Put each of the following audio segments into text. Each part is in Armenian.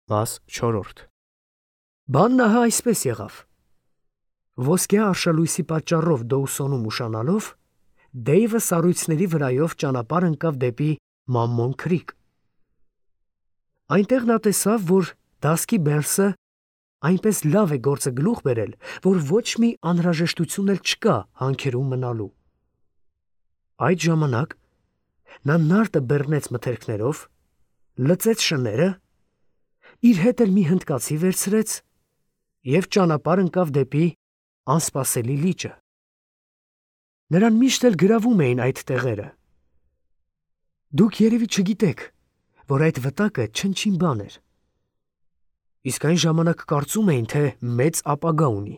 Մաս 4 Բանն ահա այսպես եղավ. ոսկյա արշալույսի պատճառով Դոուսոնում ուշանալով, Դեյվը սառույցների վրայով ճանապարհ ընկավ դեպի Մամմոն Քրիք։ Այնտեղ նա տեսավ, որ դասկի Բերսը այնպես լավ է գործը գլուխ բերել, որ ոչ մի անհրաժեշտություն էլ չկա հանքերում մնալու։ Այդ ժամանակ նա նարտը բեռնեց մթերքներով, լծեց շները, իր հետ էլ մի հնդկացի վերցրեց և ճանապարհ ընկավ դեպի անսպասելի լիճը։ Նրան միշտ էլ գրավում էին այդ տեղերը։ Դուք երևի չգիտեք, որ այդ վտակը չնչին բան էր։ Իսկ այն ժամանակ կարծում էին, թե մեծ ապագա ունի։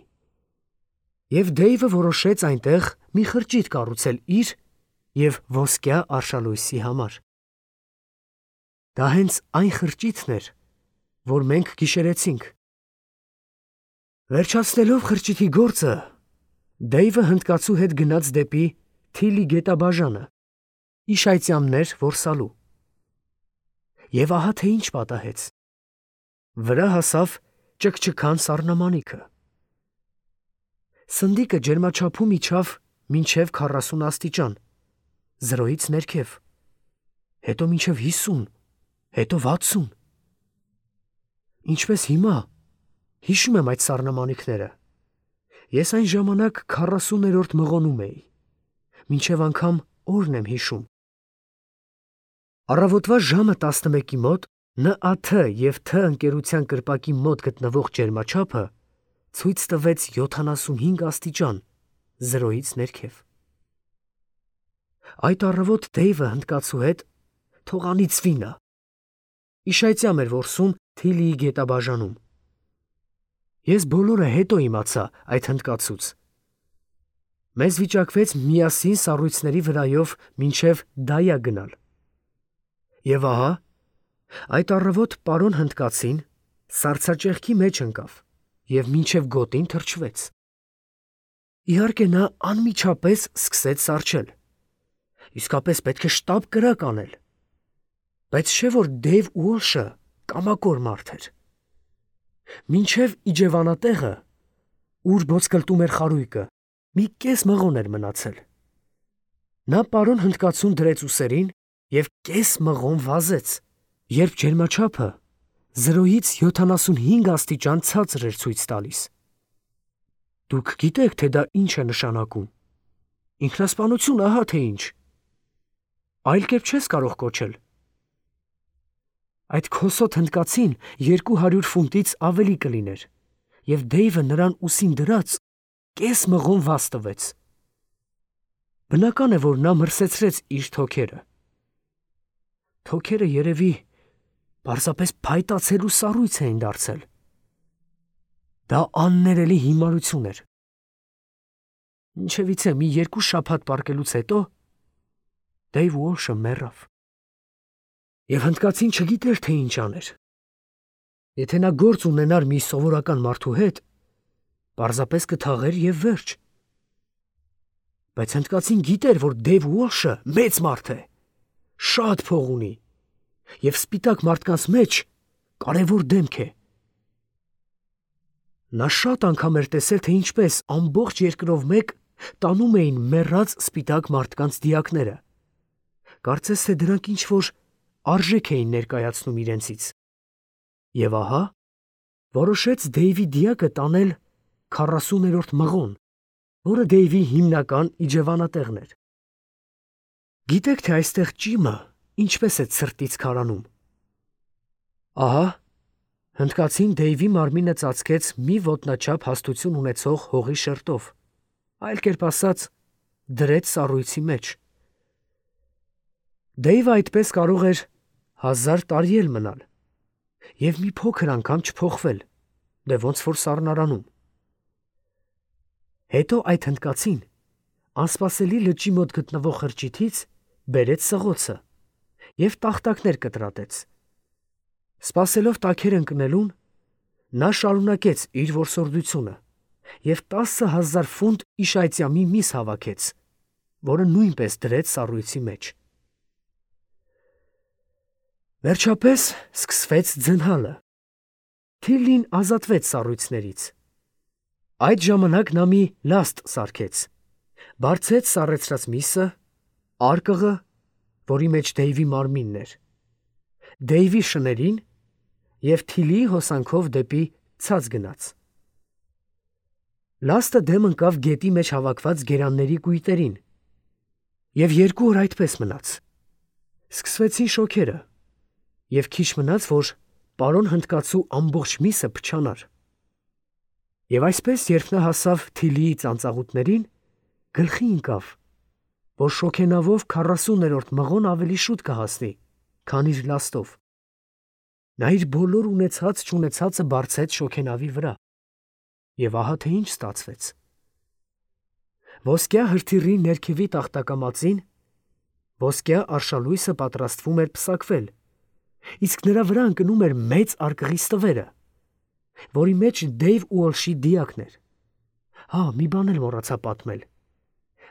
Եվ Դեյվը որոշեց այնտեղ մի խրճիթ կառուցել իր և ոսկյա արշալույսի համար։ Դա հենց այն խրճիթն էր, որ մենք գիշերեցինք։ Վերջացնելով խրճիթի գործը, Դեյվը հնդկացու հետ գնաց դեպի Թիլի գետաբաժանը, իշայծյամներ որսալու։ Եվ ահա թե ինչ պատահեց. վրա հասավ ճկճկան սառնամանիքը։ Սնդիկը ջերմաչափում իջավ մինչև 40 աստիճան, զրոյից ներքև, հետո մինչև 50, հետո 60։ Ինչպես հիմա հիշում եմ այդ սառնամանիքները, ես այն ժամանակ 40-րդ մղոնում էի, մինչև անգամ օրն եմ հիշում։ Առավոտվա ժամը 11-ի մոտ ՆԱԹ և Თ ընկերության կրպակի մոտ գտնվող ջերմաչափը ցույց տվեց 75 աստիճան, զրոյից ներքև։ Այդ առավոտ Դեյվը հնդկացու հետ թող անիծվի նա, իշայծյամ էր որսում Թիլիի գետաբաժանում։ Ես բոլորը հետո իմացա այդ հնդկացուց։ Մեզ վիճակվեց միասին սառույցների վրայով մինչև Դայա գնալ։ Եվ ահա, այդ առավոտ պարոն հնդկացին սառցաճեղքի մեջ ընկավ և մինչև գոտին թրջվեց։ Իհարկե նա անմիջապես սկսեց սառչել։ Իսկապես պետք է շտապ կրակ անել։ Բայց չէ՞ որ Դեյվ Ուոլշը կամակոր մարդ էր։ Մինչև իջևանատեղը, ուր ոսկլտում էր խարույկը, մի կես մղոն էր մնացել։ Նա պարոն հնդկացուն դրեց ուսերին և կես մղոն վազեց, երբ ջերմաչափը 0-ից 75 աստիճան ցածր էր ցույց տալիս։ Դուք գիտեք, թե դա ինչ է նշանակում։ Ինքնասպանություն ահա թե ինչ։ Այլ կերպ չես կարող կոչել։ Այդ քոսոտ հնդկացին 200 ֆունտից ավելի կլիներ, և Դեյվը նրան ուսին դրած կես մղոն վազ տվեց։ Բնական է, որ նա մրսեցրեց իր թոքերը։ Թոքերը երևի պարզապես փայտացելու սառույց էին դարձել։ Դա աններելի հիմարություն էր։ Ինչևիցե մի 2 շաբաթ պառկելուց հետո Դեյվ Ուոլշը մեռավ։ Եվ հնդկացին չգիտեր, թե ինչ աներ։ Եթե նա գործ ունենար մի սովորական մարդու հետ, պարզապես կթաղեր և վերջ։ Բայց հնդկացին գիտեր, որ Դեյվ Ուոլշը մեծ մարդ է, շատ փող ունի և սպիտակ մարդկանց մեջ կարևոր դեմք է։ Նա շատ անգամ էր տեսել, թե ինչպես ամբողջ երկրով մեկ տանում էին մեռած սպիտակ մարդկանց դիակները։ Կարծես թե դրանք ինչ-որ արժեք էին ներկայացնում իրենցից։ Եվ ահա, որոշեց Դեյվի դիակը տանել 40-րդ մղոն, որը Դեյվի հիմնական իջևանատեղն էր։ Գիտեք, թե այստեղ ճիմը ինչպես է ցրտից քարանում։ Ահա, հնդկացին Դեյվի մարմինը ծածկեց մի ոտնաչափ հաստություն ունեցող հողի շերտով, այլ կերպ ասած, դրեց սառույցի մեջ։ Դեյվը այդպես կարող էր 1000 տարի էլ մնալ և մի փոքր անգամ չփոխվել, դե ոնց որ սառնարանում։ Հետո այդ հնդկացին անսպասելի լճի մոտ գտնվող խրճիթից բերեց սղոցը և տախտակներ կտրատեց։ Սպասելով տաքեր ընկնելուն, նա շարունակեց իր որսորդությունը և 10,000 ֆունտ իշայծյամի միս հավաքեց, որը նույնպես դրեց սառույցի մեջ։ Վերջապես սկսվեց ձնհալը։ Թիլլին ազատվեց սառույցներից։ Այդ ժամանակ նա մի լաստ սարքեց, բարձեց սառեցրած միսը, արկղը, որի մեջ Դեյվի մարմինն էր, Դեյվի շներին և Թիլիի հոսանքով դեպի ցած գնաց։ Լաստը դեմ ընկավ գետի մեջ հավաքված գերանների կույտերին, և 2 օր այդպես մնաց։ Սկսվեցին շոգերը, և քիչ մնաց, որ պարոն հնդկացու ամբողջ միսը փչանար։ Եվ այսպես, երբ նա հասավ Թիլիի ծանծաղուտներին, գլխի ընկավ, որ շոգենավով 40-րդ մղոն ավելի շուտ կհասնի, քան իր լաստով։ Նա իր բոլոր ունեցած-չունեցածը բարձեց շոգենավի վրա, և ահա թե ինչ ստացվեց։ Ոսկյա հրթիռի ներքևի տախտակամածին ոսկյա արշալույսը պատրաստվում էր պսակվել, իսկ նրա վրա ընկնում էր մեծ արկղի ստվերը, որի մեջ Դեյվ Ուոլշի դիակն էր։ Մի բան էլ մոռացա պատմել.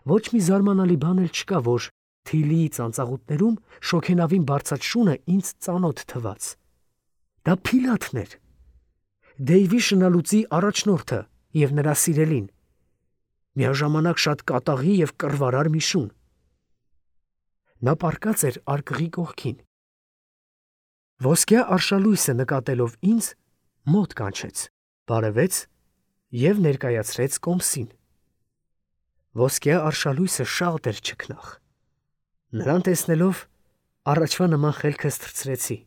ոչ մի զարմանալի բան էլ չկա, որ Թիլիի ծանծաղուտներում շոգենավին բարձած շունը ինձ ծանոթ թվաց։ Դա Փիլաթն էր, Դեյվի շնալուծի առաջնորդը և նրա սիրելին, միաժամանակ շատ կատաղի և կռվարար մի շուն։ Նա պառկած էր արկղի կողքին։ Ոսկյա արշալույսը նկատելով ինձ, մոտ կանչեց, բարևեց և ներկայացրեց կոմսին։ Ոսկյա արշալույսը շատ էր չքնաղ։ Նրան տեսնելով, առաջվա նման խելքս թռցրեցի։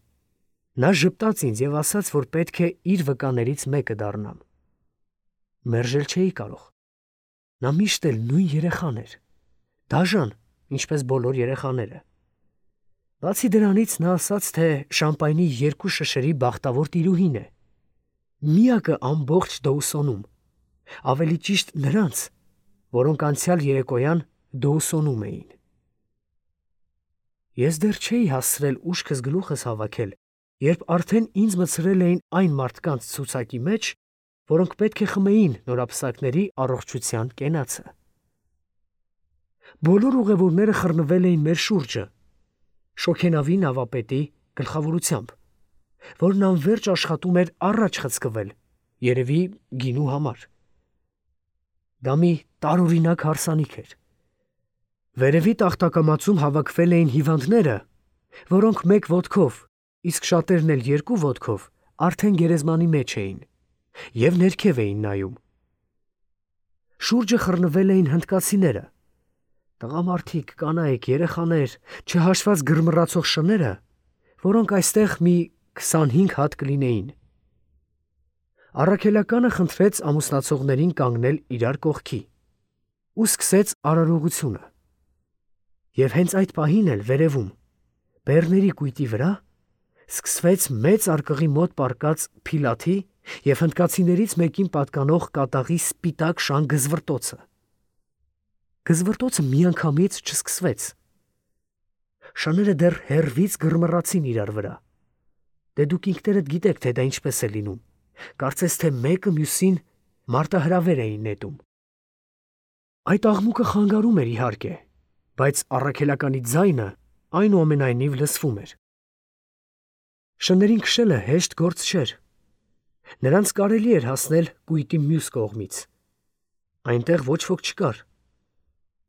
Նա ժպտաց ինձ և ասաց, որ պետք է իր վկաներից մեկը դառնամ։ Մերժել չէի կարող։ Նա միշտ էլ նույն երեխան էր, դաժան, ինչպես բոլոր երեխաները։ Բացի դրանից, նա ասաց, թե Շամպայնի 2 շշերի բախտավոր տիրուհին է, միակը ամբողջ Դոուսոնում, ավելի ճիշտ նրանց, որոնք անցյալ երեկոյան Դոուսոնում էին։ Ես դեռ չէի հասցրել ուշքս գլուխս հավաքել, երբ արդեն ինձ մտցրել էին այն մարդկանց ցուցակի մեջ, որոնք պետք է խմեին նորապսակների առողջության կենացը։ Բոլոր ուղևորները խռնվել էին մեր շուրջը, շոգենավի նավապետի գլխավորությամբ, որն անվերջ աշխատում էր առաջ խցկվել, երևի գինու համար։ Դա մի տարօրինակ հարսանիք էր։ Վերևի տախտակամածում հավաքվել էին հիվանդները, որոնք 1 ոտքով, իսկ շատերն էլ 2 ոտքով արդեն գերեզմանի մեջ էին և ներքև էին նայում։ Շուրջը խռնվել էին հնդկացիները, տղամարդիկ, կանայք, երեխաներ, չհաշված գրմռացող շները, որոնք այստեղ մի 25 հատ կլինեին։ Առաքելականը խնդրեց ամուսնացողներին կանգնել իրար կողքի ու սկսեց արարողությունը։ Եվ հենց այդ պահին էլ վերևում, բեռների կույտի վրա, սկսվեց մեծ արկղի մոտ պառկած Փիլաթի և հնդկացիներից մեկին պատկանող կատաղի սպիտակ շան գզվռտոցը։ Գզվռտոցը միանգամից չսկսվեց։ Շները դեռ հեռվից գրմռացին իրար վրա։ Դե դուք ինքներդ գիտեք, թե դա ինչպես է լինում, կարծես թե մեկը մյուսին մարտահրավեր էին նետում։ Այդ աղմուկը խանգարում էր իհարկե, բայց առաքելականի ձայնը այնուամենայնիվ լսվում էր։ Շներին քշելը հեշտ գործ չէր։ Նրանց կարելի էր հասնել կույտի մյուս կողմից։ Այնտեղ ոչ ոք չկար։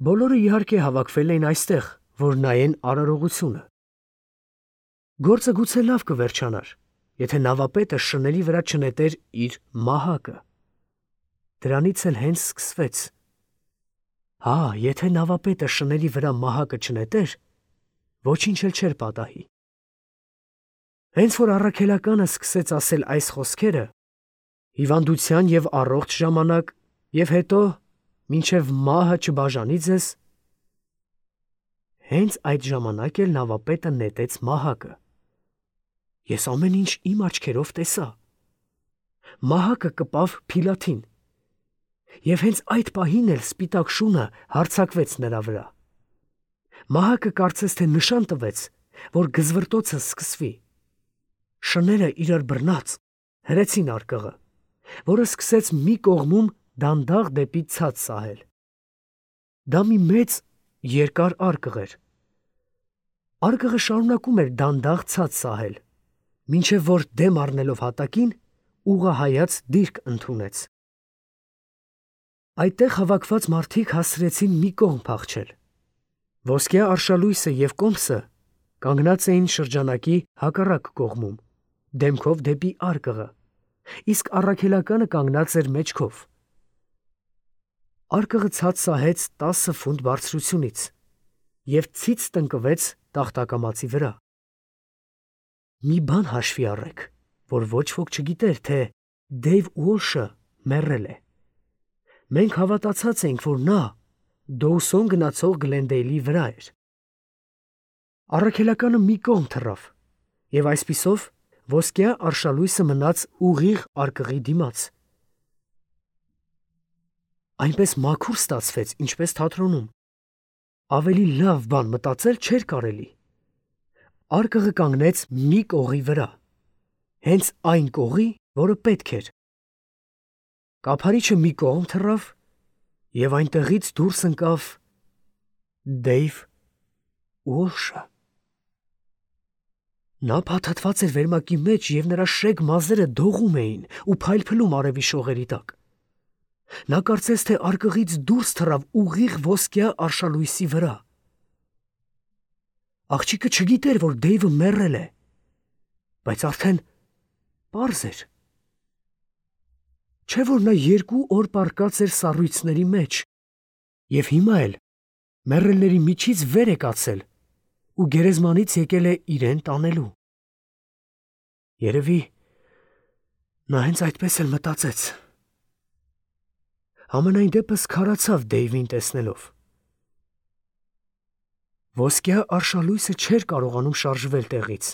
Բոլորը իհարկե հավաքվել էին այստեղ, որ նայեն արարողությունը։ Գործը գուցե լավ կվերջանար, եթե նավապետը շների վրա չնետեր իր մահակը։ Դրանից էլ հենց սկսվեց։ Եթե նավապետը շների վրա մահակը չնետեր, ոչինչ էլ չէր պատահի։ Հենց որ առաքելականը սկսեց ասել այս խոսքերը, հիվանդության և առողջ ժամանակ, և հետո մինչև մահը չբաժանի ձեզ, հենց այդ ժամանակ էլ նավապետը նետեց մահակը։ Ես ամեն ինչ իմ աչքերով տեսա։ Մահակը կպավ Փիլաթին, և հենց այդ պահին էլ սպիտակ շունը հարձակվեց նրա վրա։ Մահակը կարծես թե նշան տվեց, որ գզվռտոցը սկսվի։ Շները իրար բռնած հրեցին արկղը, որը սկսեց մի կողմում դանդաղ դեպի ցած սահել։ Դա մի մեծ երկար արկղ էր։ Արկղը շարունակում էր դանդաղ ցած սահել, մինչև որ դեմ առնելով հատակին, ուղղահայաց դիրք ընդունեց։ Այդտեղ հավաքված մարդիկ հասցրեցին մի կողմ փախչել։ Ոսկյա արշալույսը և Կոմսը կանգնած էին շրջանակի հակառակ կողմում, դեմքով դեպի արկղը, իսկ առաքելականը կանգնած էր մեջքով։ Արկղը ցած սահեց 10 ֆունտ բարձրությունից և ցից տնկվեց տախտակամածի վրա։ Մի բան հաշվի առեք, որ ոչ ոք չգիտեր, թե Դեյվ Ուոլշը մեռել է։ Մենք հավատացած էինք, որ նա Դոուսոն գնացող Գլենդեյլի վրա էր։ Առաքելականը մի կողմ թռավ, և այսպիսով ոսկյա արշալույսը մնաց ուղիղ արկղի դիմաց։ Այնպես մաքուր ստացվեց, ինչպես թատրոնում։ Ավելի լավ բան մտածել չէր կարելի։ Արկղը կանգնեց մի կողի վրա, հենց այն կողի, որը պետք էր։ Կափարիչը մի կողմ թռավ, և այնտեղից դուրս ընկավ Դեյվ Ուոլշը։ Նա փաթաթված էր վերմակի մեջ, և նրա շեգ մազերը դողում էին ու փայլփլում արևի շողերի տակ։ Նա կարծես թե արկղից դուրս թռավ ուղիղ ոսկյա արշալույսի վրա։ Աղջիկը չգիտեր, որ Դեյվը մեռել է, բայց արդեն պարզ էր։ Չէ՞ որ նա 2 օր պառկած էր սառույցների մեջ, և հիմա էլ մեռելների միջից վեր է կացել ու գերեզմանից եկել է իրեն տանելու։ Երևի նա հենց այդպես էլ մտածեց։ Համենայն դեպս քարացավ Դեյվին տեսնելով։ Ոսկյա արշալույսը չէր կարողանում շարժվել տեղից։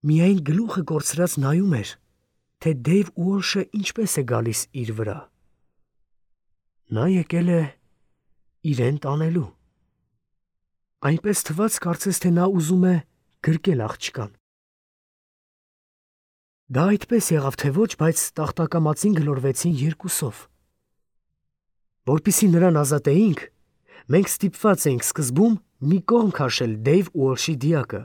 Միայն գլուխը կորցրած նայում էր, թե Դեյվ Ուոլշը ինչպես է գալիս իր վրա։ Նա եկել է իրեն տանելու։ Այնպես թվաց, կարծես թե նա ուզում է գրկել աղջկան։ Դա այդպես եղավ թե ոչ, բայց տախտակամածին գլորվեցին երկուսով։ Որպեսզի նրան ազատեինք, մենք ստիպված էինք սկզբում մի կողմ քաշել Դեյվ Ուոլշի դիակը։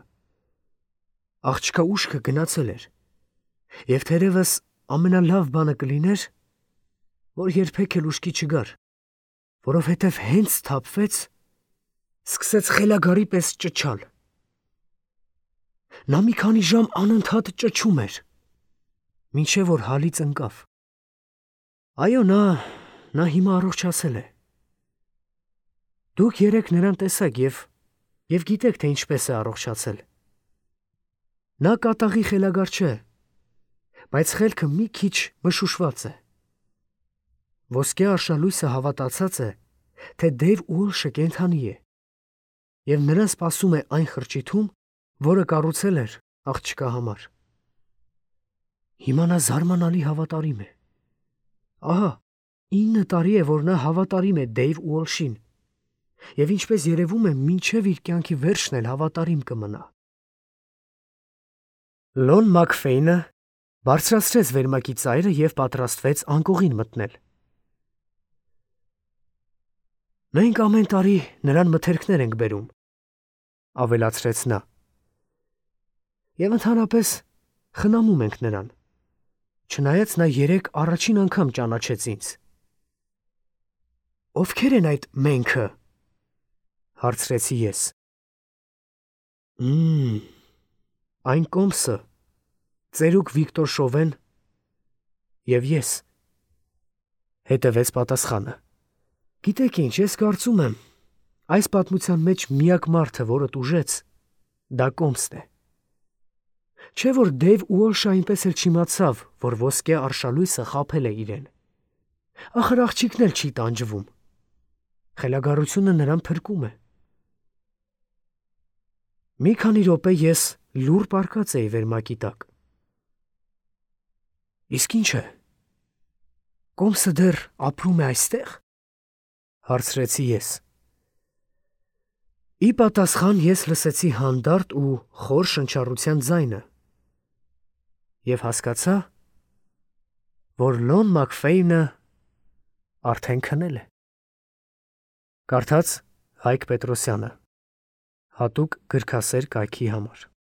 Աղջկա ուշքը գնացել էր, և թերևս ամենալավ բանը կլիներ, որ երբեք էլ ուշքի չգար, որովհետև հենց սթափվեց, սկսեց խելագարի պես ճչալ։ Նա մի քանի ժամ անընդհատ ճչում էր, մինչև որ հալից ընկավ։ Այո, նա հիմա առողջացել է։ Դուք երեկ նրան տեսաք և գիտեք, թե ինչպես է առողջացել։ Նա կատաղի խելագար չէ, բայց խելքը մի քիչ մշուշված է։ Ոսկյա արշալույսը հավատացած է, թե Դեյվ Ուոլշը կենդանի է, և նրան սպասում է այն խրճիթում, որը կառուցել էր աղջկա համար։ Հիմա նա զարմանալի հավատարիմ է։ Ահա 9 տարի է, որ նա հավատարիմ է Դեյվ Ուոլշին, և ինչպես երևում է, մինչև իր կյանքի վերջն էլ հավատարիմ կմնա։ Լոն Մաքֆեյնը բարձրացրեց վերմակի ծայրը և պատրաստվեց անկողին մտնել։ Մենք ամեն տարի նրան մթերքներ ենք բերում, ավելացրեց նա, և ընդհանրապես խնամում ենք նրան, չնայած նա երեկ առաջին անգամ ճանաչեց ինձ։ Ովքեր են այդ «մենք»-ը, հարցրեցի ես։ Այն Կոմսը, ծերուկ Վիկտոր Շովեն և ես, հետևեց պատասխանը։ Գիտեք ինչ, ես կարծում եմ, այս պատմության մեջ միակ մարդը, որը տուժեց, դա Կոմսն է։ Չէ՞ որ Դեյվ Ուոլշը այնպես էլ չիմացավ, որ ոսկյա արշալույսը խաբել է իրեն։ Ախր աղջիկն էլ չի տանջվում։ Խելագարությունը նրան փրկում է։ Մի քանի րոպե ես լուռ պառկած էի վերմակի տակ։ Իսկ ինչ է, Կոմսը դեռ ապրում է այստե՞ղ, հարցրեցի ես։ Ի պատասխան ես լսեցի հանդարտ ու խոր շնչառության ձայնը և հասկացա, որ Լոն Մաքֆեյնը արդեն քնել է։ Կարդաց Հայկ Պետրոսյանը, հատուկ գրքասեր կայքի համար։